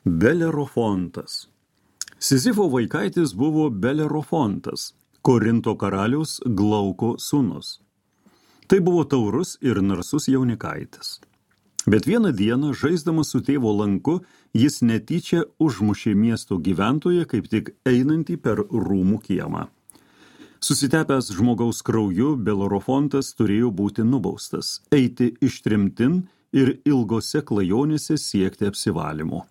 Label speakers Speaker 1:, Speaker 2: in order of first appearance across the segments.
Speaker 1: Belerofontas. Sizifo vaikaitis buvo Belerofontas, Korinto karaliaus Glauko sūnus. Tai buvo taurus ir narsus jaunikaitis. Bet vieną dieną, žaisdamas su tėvo lanku, jis netyčia užmušė miesto gyventoją, kaip tik einantį per rūmų kiemą. Susitepęs žmogaus krauju, Belerofontas turėjo būti nubaustas, eiti ištremtin ir ilgose klajonėse siekti apsivalymo.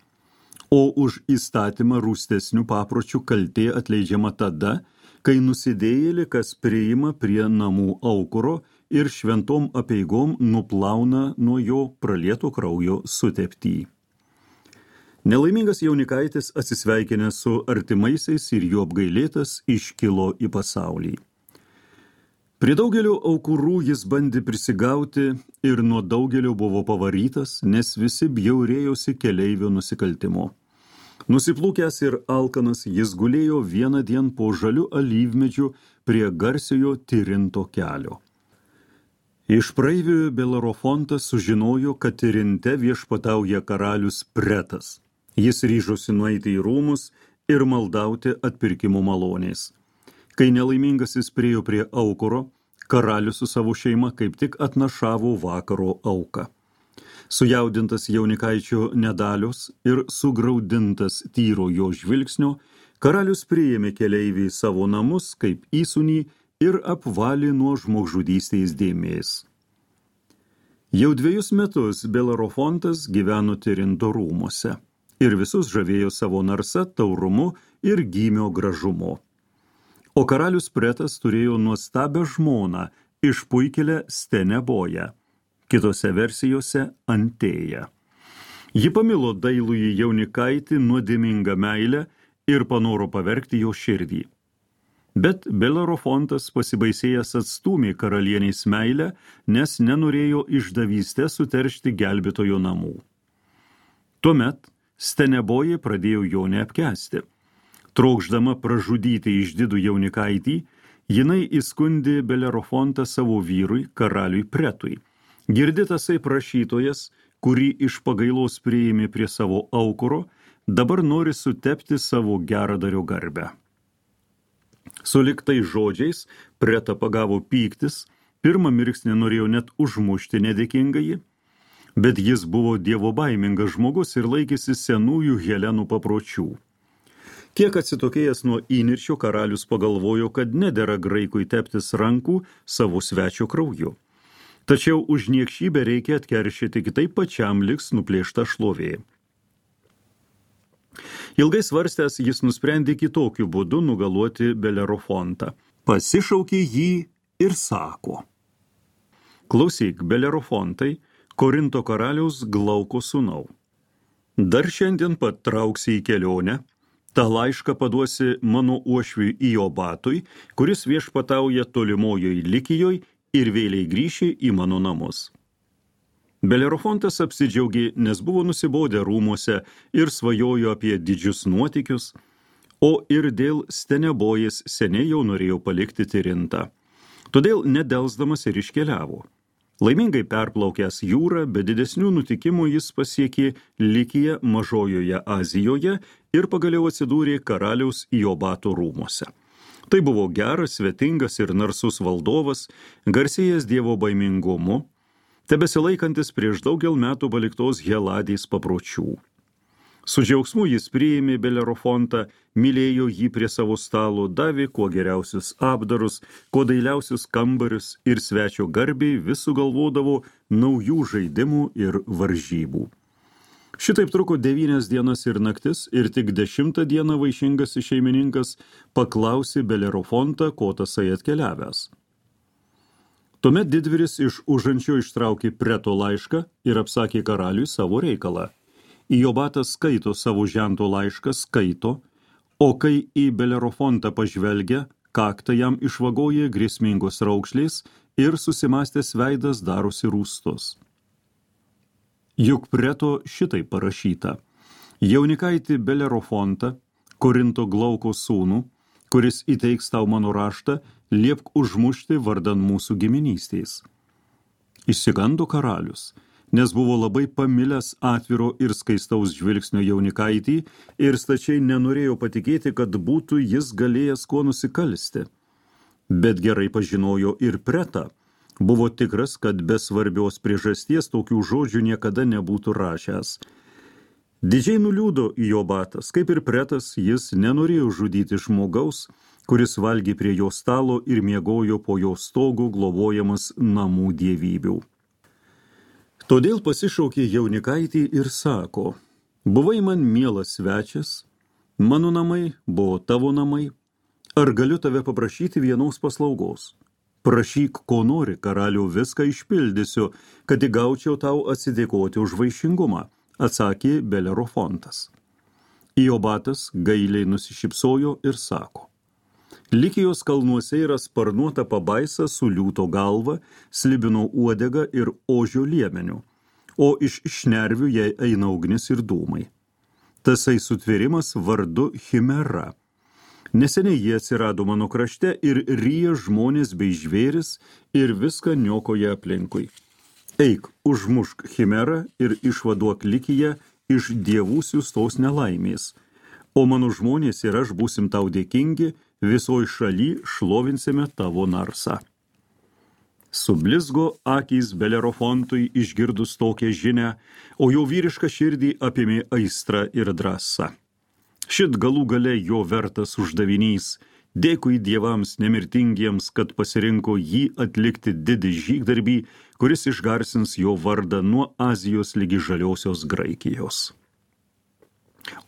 Speaker 1: O už įstatymą rūstesnių papročių kaltė atleidžiama tada, kai nusidėjėlį, kas priima prie namų aukuro ir šventom apeigom nuplauna nuo jo pralieto kraujo suteptį. Nelaimingas jaunikaitis, atsisveikinęs su artimaisiais ir jo apgailėtas, iškilo į pasaulį. Prie daugelio aukurų jis bandė prisigauti ir nuo daugelio buvo pavarytas, nes visi bjaurėjosi keleivio nusikaltimo. Nusiplūkęs ir alkanas, jis gulėjo vieną dieną po žaliu alyvmedžiu prie garsiojo Tirinto kelio. Iš praeivių Belerofontas sužinojo, kad Tirinte viešpatauja karalius Pretas. Jis ryžosi nueiti į rūmus ir maldauti atpirkimo malonės. Kai nelaimingasis priėjo prie aukuro, karalius su savo šeima kaip tik atnašavo vakaro auką. Sujaudintas jaunikaičio nedalios ir sugraudintas tyro jo žvilgsnio, karalius priėmė keleivį į savo namus kaip įsūnį ir apvalė nuo žmogžudystės dėmės. Jau 2 metus Belerofontas gyveno Tirinto rūmuose ir visus žavėjo savo narsa, taurumu ir gymio gražumu. O karalius Pretas turėjo nuostabią žmoną, išpuikėlę Steneboją, kitose versijose Antėją. Ji pamilo dailųjį jaunikaitį nuodėmingą meilę ir panoro pavergti jo širdį. Bet Belerofontas pasibaisėjęs atstūmė karalienės meilę, nes nenorėjo išdavystę suteršti gelbėtojo namų. Tuomet Steneboja pradėjo jo neapkęsti. Trokšdama pražudyti išdidų jaunikaitį, jinai įskundė Belerofontą savo vyrui, karaliui Pretui. Girdėtasai prašytojas, kurį iš pagailos priėmė prie savo aukuro, dabar nori sutepti savo geradario garbę. Sulig tais žodžiais Pretą pagavo pyktis, pirmą mirksnį norėjo net užmušti nedėkingąjį, bet jis buvo dievobaimingas žmogus ir laikėsi senųjų Helenų papročių. Kiek atsitokėjęs nuo įniršio, karalius pagalvojo, kad nedera graikui teptis rankų savo svečio krauju. Tačiau už niekšybę reikia atkeršyti, kitaip pačiam liks nuplėšta šlovė. Ilgai svarstęs, jis nusprendė kitokiu būdu nugaluoti Belerofontą. Pasišaukė jį ir sako: Klausyk, Belerofontai, Korinto karaliaus Glauko sūnau. Dar šiandien pat trauksi į kelionę, tą laišką paduosi mano uošviui Iobatui, kuris viešpatauja tolimojoj Likijoj ir vėliai grįši į mano namus. Belerofontas apsidžiaugė, nes buvo nusibodę rūmuose ir svajojo apie didžius nuotykius, o ir dėl Stenebojės seniai jau norėjo palikti Tirintą. Todėl nedelsdamas ir iškeliavo. Laimingai perplaukęs jūrą, be didesnių nutikimų jis pasiekė Likiją Mažojoje Azijoje ir pagaliau atsidūrė karaliaus Iobato rūmuose. Tai buvo geras, svetingas ir narsus valdovas, garsėjęs dievo baimingumu, tebesilaikantis prieš daugel metų paliktos Heladės papročių. Su džiaugsmu jis priėmė Belerofontą, mylėjo jį prie savo stalo, davė kuo geriausius apdarus, kuo dailiausius kambarius ir svečio garbiai vis sugalvodavo naujų žaidimų ir varžybų. Šitaip truko 9 dienas ir naktis ir tik 10 dieną vaišingas šeimininkas paklausė Belerofontą, ko tasai atkeliavęs. Tuomet didvyris iš užančio ištraukė Preto laišką ir apsakė karaliui savo reikalą. Iobatas skaito savo žento laišką, skaito, o kai į Belerofontą pažvelgia, kaktą jam išvagoja grėsmingos raukšlės ir susimastęs veidas darosi rūstus. Juk Preto šitai parašyta: Jaunikaitį Belerofontą, Korinto Glauko sūnų, kuris įteiks tau mano raštą, liepk užmušti vardan mūsų giminystės. Išsigando karalius, nes buvo labai pamilęs atviro ir skaistaus žvilgsnio jaunikaitį ir stačiai nenorėjo patikėti, kad būtų jis galėjęs kuo nusikalsti. Bet gerai pažinojo ir Pretą. Buvo tikras, kad be svarbios priežasties tokių žodžių niekada nebūtų rašęs. Didžiai nuliūdo Iobatas, kaip ir Pretas, jis nenorėjo žudyti žmogaus, kuris valgė prie jo stalo ir miegojo po jo stogu globojamas namų dievybių. Todėl pasišaukė jaunikaitį ir sako: buvai man mielas svečias, mano namai buvo tavo namai, ar galiu tave paprašyti vienos paslaugos? Prašyk, ko nori, karaliau, viską išpildysiu, kad įgaučiau tau atsidėkoti už vaišingumą, atsakė Belerofontas. Iobatas gailiai nusišypsojo ir sako: Likijos kalnuose yra sparnuota pabaisa su liūto galva, slibino uodega ir ožio liemeniu, o iš šnervių jai eina ugnis ir dūmai. Tasai sutvėrimas vardu Chimera. Neseniai jie atsirado mano krašte ir ryja žmonės bei žvėris ir viską niokoja aplinkui. Eik, užmušk Chimerą ir išvaduok Likiją iš dievų siųstos nelaimės, o mano žmonės ir aš būsim tau dėkingi, visoj šaly šlovinsime tavo narsą. Sublizgo akys Belerofontui išgirdus tokią žinią, o jo vyrišką širdį apėmė aistra ir drąsa. Šit galų gale jo vertas uždavinys, dėkui dievams nemirtingiems, kad pasirinko jį atlikti didį žygdarbį, kuris išgarsins jo vardą nuo Azijos ligi žaliosios Graikijos.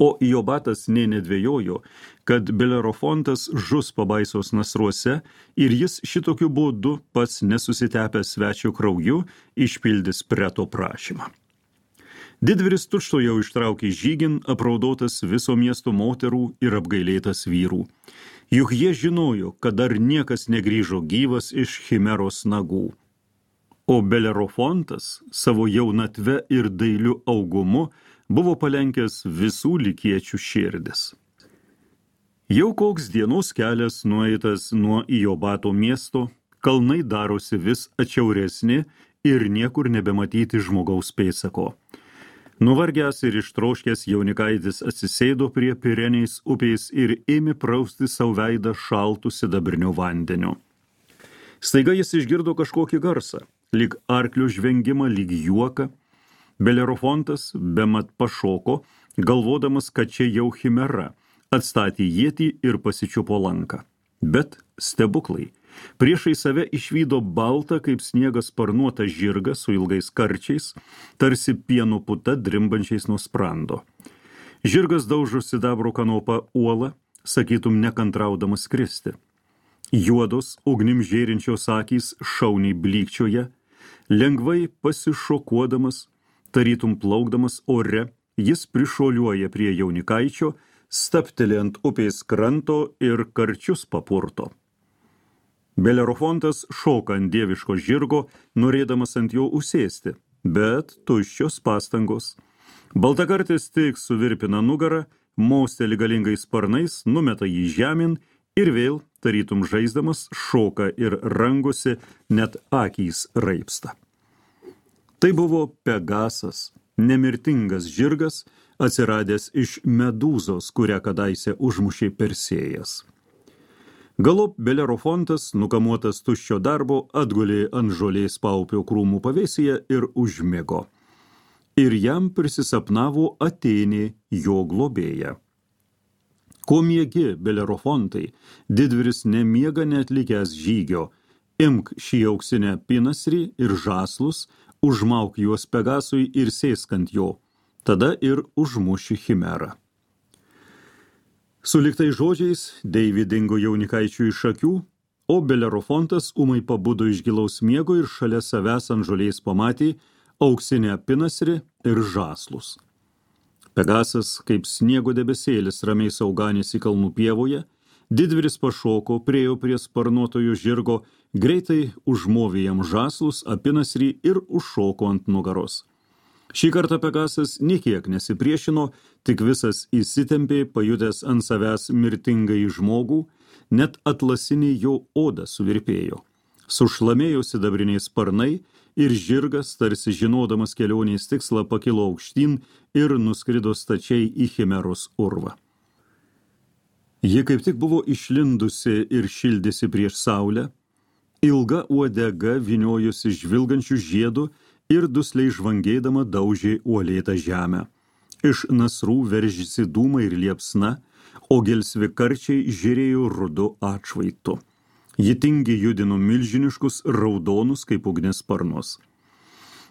Speaker 1: O Iobatas nė nedvejojo, kad Belerofontas žus pabaisos nasruose ir jis šitokiu būdu pats nesusitepęs svečio krauju išpildys Preto prašymą. Didvyris tučtuojau ištraukė žygin, apraudotas viso miesto moterų ir apgailėtas vyrų. Juk jie žinojo, kad dar niekas negrįžo gyvas iš Chimeros nagų. O Belerofontas savo jaunatve ir dailiu augumu buvo palenkęs visų likiečių širdis. Jau koks dienos kelias nueitas nuo Iobato miesto, kalnai darosi vis atšiauresni ir niekur nebematyti žmogaus pėdsako. Nuvargęs ir ištroškęs jaunikaitis atsisėdo prie Pireniais upės ir ėmė prausti savo veidą šaltų sidabriniu vandeniu. Staiga jis išgirdo kažkokį garsą, lyg arklio žvengimą, lyg juoką. Belerofontas bemat pašoko, galvodamas, kad čia jau Chimera, atstatė ietį ir pasičiupo lanką. Bet stebuklai. Priešai save išvydo baltą kaip sniegas sparnuotą žirgą su ilgais karčiais, tarsi pieno puta drimbančiais nuo sprando. Žirgas daužo sidabro kanopą uolą, sakytum nekantraudamas skristi. Juodos, ugnim žėrinčios akys šauniai blykčioje, lengvai pasišokuodamas, tarytum plaukdamas ore, jis prišuoliuoja prie jaunikaičio, stapteli ant upės kranto ir karčius papurto. Belerofontas šoka ant dieviško žirgo, norėdamas ant jo užsėsti, bet tuščios pastangos. Baltakartis tik suvirpina nugarą, mosteli galingais sparnais, numeta jį žemyn ir vėl, tarytum žaisdamas, šoka ir rangosi, net akys raipsta. Tai buvo Pegasas, nemirtingas žirgas, atsiradęs iš medūzos, kurią kadaise užmušė Persėjas. Galop Belerofontas, nukamuotas tuščio darbo, atgulė ant žolės paupio krūmų pavėsyje ir užmigo. Ir jam prisisapnavo Atėnė, jo globėja. Ko miegi, Belerofontai, didvyris nemiega neatlikęs žygio, imk šį auksinę pinasrį ir žaslus, užmauk juos Pegasui ir sėsk ant jo, tada ir užmuši Chimerą. Suliktai žodžiais Deivė dingo jaunikaičių iš akių, o Belerofontas ūmai pabudo iš gilaus miego ir šalia savęs ant žolės pamatė auksinę pinasrį ir žaslus. Pegasas, kaip sniego debesėlis, ramiai sauganėsi kalnų pievoje, didvyris pašoko, priėjo prie sparnuotojo žirgo, greitai užmovė jam žaslus, apinasrį ir užšoko ant nugaros. Šį kartą Pegasas niekiek nesipriešino, tik visas įsitempė, pajutęs ant savęs mirtingai žmogų, net atlasinė jo oda suvirpėjo. Sušlamėjo sidabriniai sparnai ir žirgas, tarsi žinodamas kelionės tikslą, pakilo aukštyn ir nuskrido stačiai į Chimeros urvą. Ji kaip tik buvo išlindusi ir šildėsi prieš saulę, ilga uodega vyniojusi žvilgančių žiedų ir dusliai žvangėdama daužė uolėtą žemę. Iš nasrų veržėsi dūmai ir liepsna, o gelsvi karčiai žėrėjo rudu atšvaitu. Ji tingiai judino milžiniškus raudonus kaip ugnis sparnus.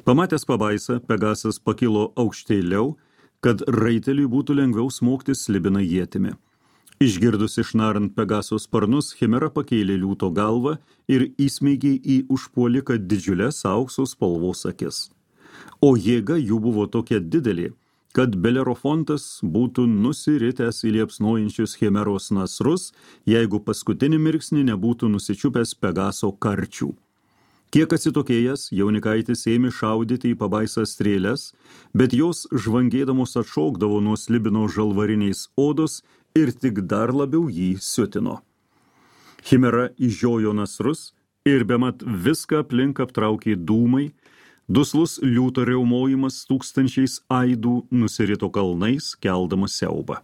Speaker 1: Pamatęs pabaisą, Pegasas pakilo aukštėliau, kad raiteliui būtų lengviau smogti slibiną ietimi. Išgirdus išnarant Pegaso sparnus, Chimera pakėlė liūto galvą ir įsmeigė į užpuoliką didžiulės aukso spalvos akis. O jėga jų buvo tokia didelė, kad Belerofontas būtų nusiritęs į liepsnojančius Chimeros nasrus, jeigu paskutinį mirksnį nebūtų nusičiupęs Pegaso karčių. Kiek atsitokėjęs, jaunikaitis ėmė šaudyti į pabaisą strėles, bet jos žvangėdamos atšokdavo nuo slibino žalvariniais odos ir tik dar labiau jį siutino. Chimera išžiojo nasrus ir bemat viską aplink aptraukė dūmai, duslus liūto riaumojimas tūkstančiais aidų nusirito kalnais, keldamas siaubą.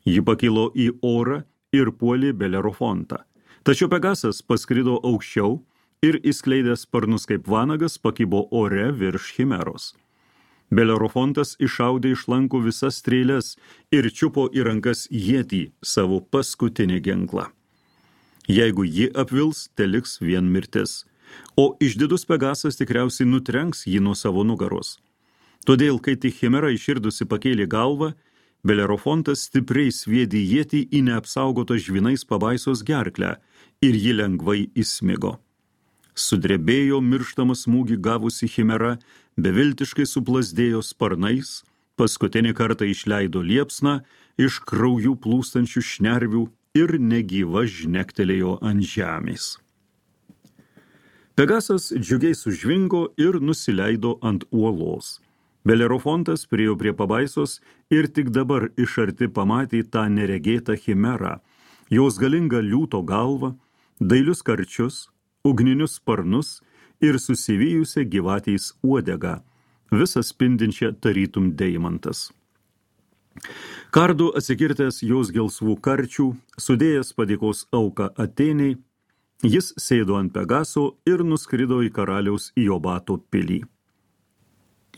Speaker 1: Ji pakilo į orą ir puolė Belerofontą. Tačiau Pegasas paskrido aukščiau ir įskleidęs sparnus kaip vanagas pakibo ore virš Chimeros. Belerofontas iššaudė iš lankų visas strėles ir čiupo į rankas ietį, savo paskutinį ginklą. Jeigu ji apvils, teliks vien mirtis. O išdidus Pegasas tikriausiai nutrenks jį nuo savo nugaros. Todėl, kai tik Chimera iširdusi pakėlė galvą, Belerofontas stipriai sviedė ietį į neapsaugotą žvynais pabaisos gerklę ir ji lengvai įsmigo. Sudrebėjo mirštamą smūgį gavusi Chimera, beviltiškai suplasdėjo sparnais, paskutinį kartą išleido liepsną iš kraujų plūstančių šnervių ir negyva žnektelėjo ant žemės. Pegasas džiugiai sužvingo ir nusileido ant uolos. Belerofontas priėjo prie pabaisos ir tik dabar iš arti pamatė tą neregėtą Chimerą, jos galingą liūto galvą, dailius karčius, ugninius sparnus ir susivijusią gyvatės uodegą, visą spindinčią tarytum deimantas. Kardu atsikirtęs jos gelsvų karčių, sudėjęs padėkos auką Atėnei, jis sėdo ant Pegaso ir nuskrido į karaliaus Iobato pilį.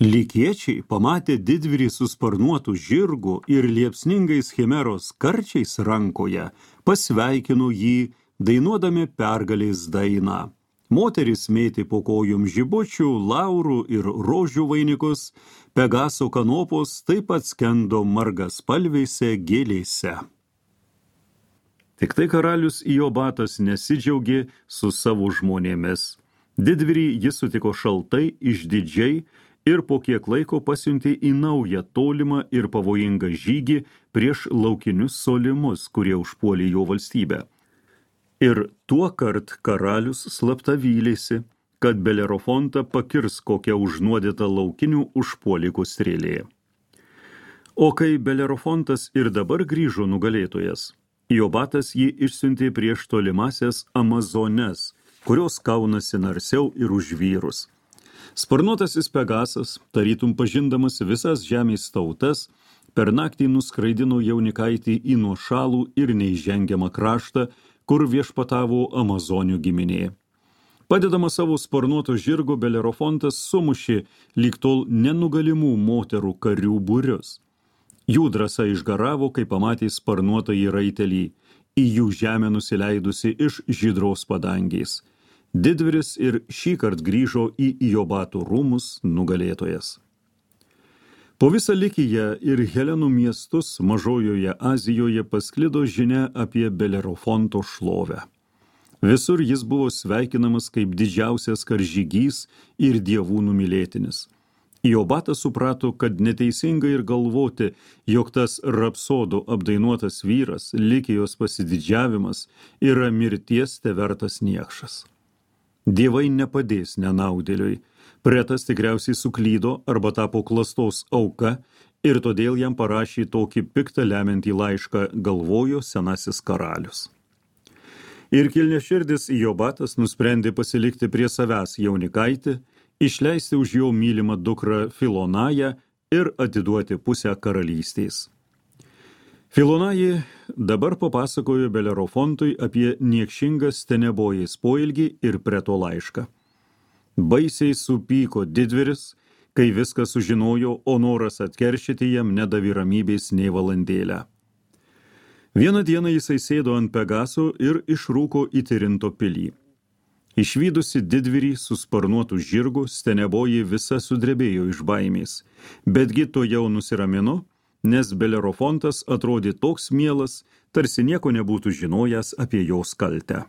Speaker 1: Lykiečiai pamatė didvyrį su sparnuotu žirgu ir liepsningais Chimeros karčiais rankoje, pasveikino jį, dainuodami pergalės dainą. Moteris mėtė po kojom žibučių, laurų ir rožių vainikus, Pegaso kanopos taip pat skendo margaspalvėse gėlėse. Tik tai karalius Iobatas nesidžiaugė su savo žmonėmis. Didvyrį jis sutiko šaltai, išdidžiai ir po kiek laiko pasiuntė į naują tolimą ir pavojingą žygį prieš laukinius solimus, kurie užpuolė jo valstybę. Ir tuokart karalius slapta vylėsi, kad Belerofontą pakirs kokią užnuodytą laukinių užpuolikų strėlė. O kai Belerofontas ir dabar grįžo nugalėtojas, Iobatas jį išsiuntė prieš tolimasias Amazones, kurios kaunasi narsiau ir už vyrus. Sparnuotasis Pegasas, tarytum pažindamas visas žemės tautas, per naktį nuskraidino jaunikaitį į nuošalų ir neįžengiamą kraštą, kur viešpatavo Amazonių giminė. Padedama savo sparnuoto žirgo, Belerofontas sumušė lyg tol nenugalimų moterų karių būrius. Jų drąsa išgaravo, kai pamatė sparnuotąjį raitelį, į jų žemę nusileidusi iš žydros padangės. Didvyris ir šįkart grįžo į Iobato rūmus nugalėtojas. Po visą Likiją ir Helenų miestus Mažojoje Azijoje pasklido žinia apie Belerofonto šlovę. Visur jis buvo sveikinamas kaip didžiausias karžygys ir dievų numylėtinis. Iobatas suprato, kad neteisinga ir galvoti, jog tas rapsodų apdainuotas vyras, Likijos pasididžiavimas, yra mirties tevertas niekšas. Dievai nepadės nenaudėliui. Pretas tikriausiai suklydo arba tapo klastos auka ir todėl jam parašė tokį piktą lemiantį laišką, galvojo senasis karalius. Ir kilniaširdis Iobatas nusprendė pasilikti prie savęs jaunikaitį išleisti už jo mylimą dukrą Filonają ir atiduoti pusę karalystės. Filonaji dabar papasakojo Belerofontui apie niekšingą Stenebojės poelgį ir Preto laišką. Baisiai supyko didvyris, kai viską sužinojo, o noras atkeršyti jam nedavė ramybės nei valandėlę. Vieną dieną jisai sėdo ant Pegaso ir išrūko į Tirinto pilį. Išvydusi didvyrį su sparnuotu žirgu, Stenebojė visa sudrebėjo iš baimės, betgi to jau nusiramino, nes Belerofontas atrodė toks mielas, tarsi nieko nebūtų žinojęs apie jos kaltę.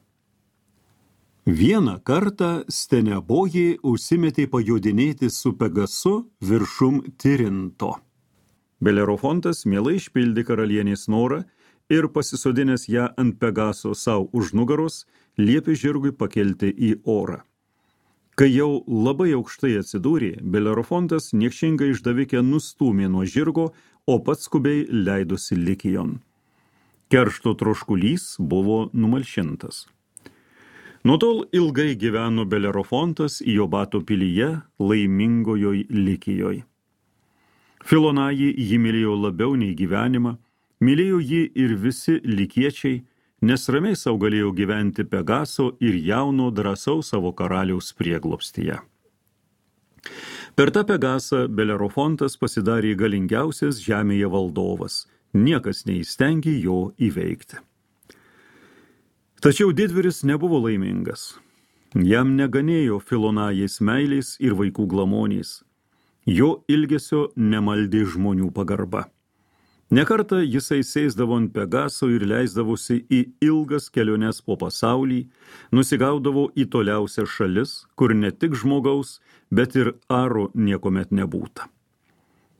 Speaker 1: Vieną kartą Stenebojė užsimetė pajodinėti su Pegasu viršum Tirinto. Belerofontas mielai išpildė karalienės norą ir pasisodinęs ją ant Pegaso savo už nugaros, liepė žirgui pakelti į orą. Kai jau labai aukštai atsidūrė, Belerofontas niekšingą išdavikę nustūmė nuo žirgo, o pats skubiai leidosi Likijon. Keršto troškulys buvo numalšintas. Nuo tol ilgai gyveno Belerofontas Jobato pilyje, laimingojoj Likijoj. Filonaji jį mylėjo labiau nei gyvenimą, mylėjo jį ir visi likiečiai, nes ramiai sau galėjo gyventi Pegaso ir jauno drąsaus savo karaliaus prieglobstyje. Per tą Pegasą Belerofontas pasidarė galingiausias žemėje valdovas, niekas neįstengė jo įveikti. Tačiau didvyris nebuvo laimingas. Jam neganėjo Filonajės meilės ir vaikų glamonės. Jo ilgesio nemaldė žmonių pagarba. Nekartą jisai sėsdavo ant Pegaso ir leisdavosi į ilgas keliones po pasaulį, nusigaudavo į toliausias šalis, kur ne tik žmogaus, bet ir aro niekomet nebūta.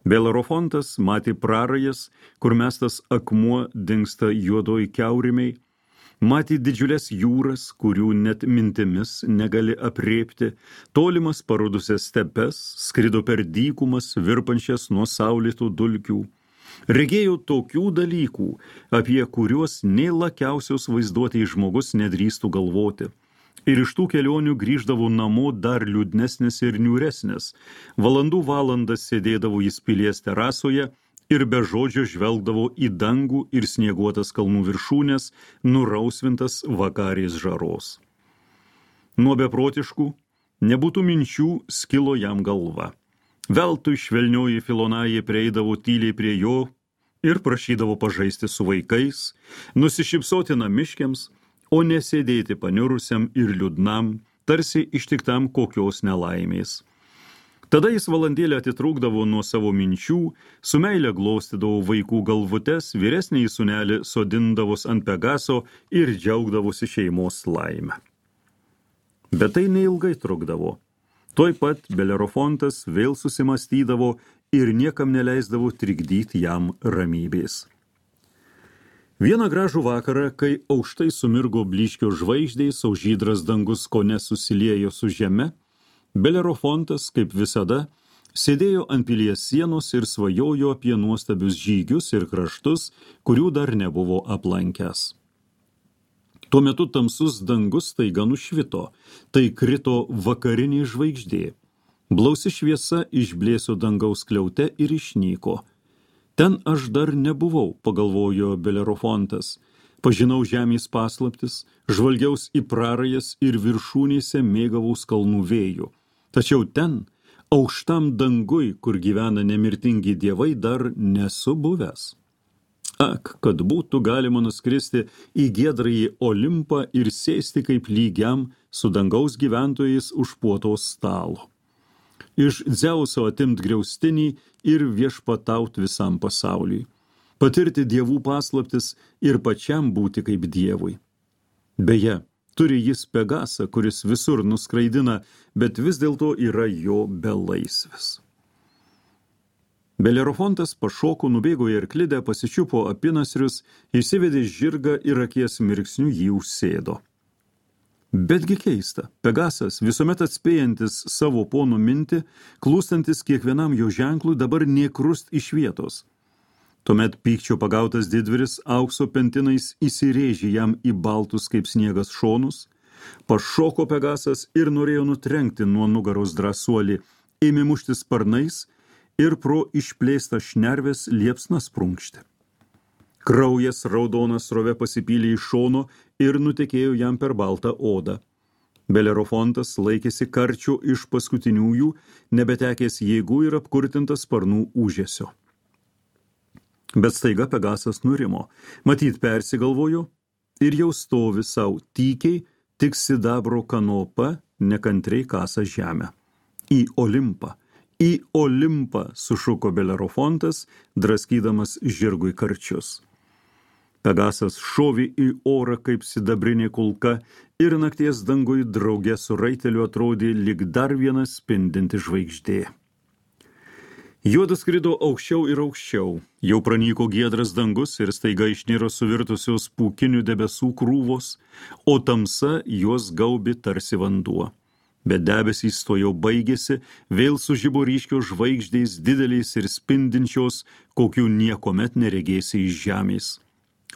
Speaker 1: Belerofontas matė prarajas, kur mestas akmuo dingsta juodoj kiaurimiai, matė didžiulės jūras, kurių net mintimis negali aprėpti, tolimas parudusias stepes, skrido per dykumas, virpančias nuo saulėtų dulkių. Regėjo tokių dalykų, apie kuriuos nei lakiausios vaizduotei žmogus nedrįstų galvoti. Ir iš tų kelionių grįždavo namo dar liūdnesnis ir niūresnis. Valandų valandas sėdėdavo jis pilies terasoje ir be žodžio žvelgdavo į dangų ir snieguotas kalnų viršūnės, nurausvintas vakarės žaros. Nuo beprotiškų, nebūtų minčių skilo jam galva. Veltui švelnioji Filonajė prieidavo tyliai prie jo ir prašydavo pažaisti su vaikais, nusišypsoti namiškiams, o nesėdėti paniurusiam ir liūdnam, tarsi ištiktam kokios nelaimės. Tada jis valandėlę atitrūkdavo nuo savo minčių, su meile glaustydavo vaikų galvutes, vyresnįjį sūnelį sodindavos ant Pegaso ir džiaugdavosi šeimos laimę. Bet tai neilgai trukdavo. Tuoj pat Belerofontas vėl susimastydavo ir niekam neleisdavo trikdyti jam ramybės. Vieną gražų vakarą, kai aukštai sumirgo blyškio žvaigždės, o žydras dangus kone susiliejo su žeme, Belerofontas, kaip visada, sėdėjo ant pilies sienos ir svajojo apie nuostabius žygius ir kraštus, kurių dar nebuvo aplankęs. Tuo metu tamsus dangus staiga nušvito, tai krito vakarinė žvaigždė. Blausi šviesa išblėso dangaus skliaute ir išnyko. Ten aš dar nebuvau, pagalvojo Belerofontas. Pažinau žemės paslaptis, žvalgiaus į prarajas ir viršūnėse mėgavaus kalnų vėjų. Tačiau ten, aukštam dangui, kur gyvena nemirtingi dievai, dar nesu buvęs. Ak, kad būtų galima nuskristi į giedrąjį Olimpą ir sėsti kaip lygiam su dangaus gyventojais už puotos stalo. Iš Dzeuso atimt griaustinį ir viešpataut visam pasauliui. Patirti dievų paslaptis ir pačiam būti kaip dievui. Beje, turi jis Pegasą, kuris visur nuskraidina, bet vis dėlto yra jo belaisvis. Belerofontas pašoko, nubėgo į arklidę, pasičiupo apynasrius, įsivedė žirgą ir akies mirksniu jį užsėdo. Betgi keista, Pegasas, visuomet atspėjantis savo pono mintį, klūstantis kiekvienam jo ženklui, dabar nėkrust iš vietos. Tuomet pykčio pagautas didvyris aukso pentinais įsirėžė jam į baltus kaip sniegas šonus, Pašoko Pegasas ir norėjo nutrenkti nuo nugaros drąsuolį, ėmė mušti sparnais ir pro išplėstą šnervės liepsnas prunkšti. Kraujas raudonas srove pasipylė iš šono ir nutekėjo jam per baltą odą. Belerofontas laikėsi karčio iš paskutiniųjų, nebetekęs jėgų ir apkurtintas sparnų ūžesio. Bet staiga Pegasas nurimo, matyt persigalvojo ir jau stovi sau tykiai, tik sidabro kanopa nekantriai kasa žemę. Į Olimpą, sušuko Belerofontas, draskydamas žirgui karčius. Pegasas šovė į orą kaip sidabrinė kulka ir nakties dangui drauge su raiteliu atrodė lyg dar viena spindinti žvaigždė. Juodas skrido aukščiau ir aukščiau, jau pranyko giedras dangus ir staiga išniro suvirtusios pūkinių debesų krūvos, o tamsa juos gaubė tarsi vanduo. Bet debesys to jau baigėsi, vėl sužibo ryškios žvaigždės dideliais ir spindinčios, kokių niekomet neregėsi iš žemės.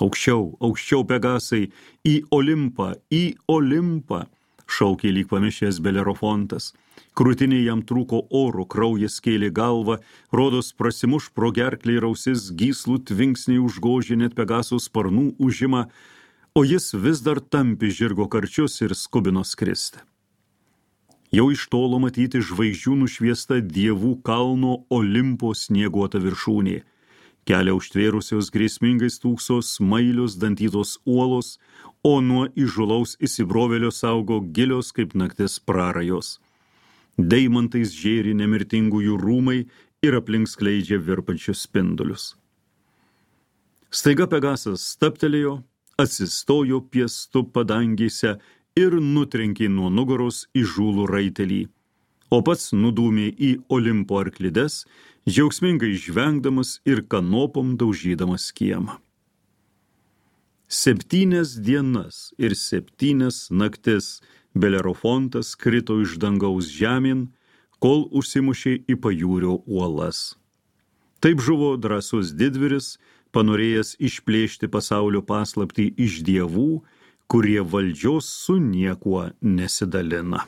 Speaker 1: Aukščiau, aukščiau Pegasai, į Olimpą, šaukė lyg pamišęs Belerofontas. Krūtinė jam trūko oro, kraujas kėlė galvą, rodos prasimuš pro gerklį ir ausis, gyslų tvinksniai užgožė net Pegaso sparnų užimą, o jis vis dar tampi žirgo karčius ir skubino skristi. Jau iš tolo matyti žvaigždžių nušviesta dievų kalno Olimpo snieguota viršūnė. Kelią užtvėrusios grėsmingai stūkso smailios dantytos uolos, o nuo įžulaus įsibrovėlio saugo gilios kaip naktis prarajos. Deimantais žėri nemirtingųjų rūmai ir aplink skleidžia virpančius spindulius. Staiga Pegasas stabtelėjo, atsistojo piestu padangėse ir nutrenkė nuo nugaros įžūlų raitelį, o pats nudūmė į Olimpo arklides, džiaugsmingai žvengdamas ir kanopom daužydamas kiemą. 7 dienas ir 7 naktis Belerofontas krito iš dangaus žemyn, kol užsimušė į pajūrio uolas. Taip žuvo drąsus didvyris, panorėjęs išplėšti pasaulio paslaptį iš dievų, kurie valdžios su niekuo nesidalina.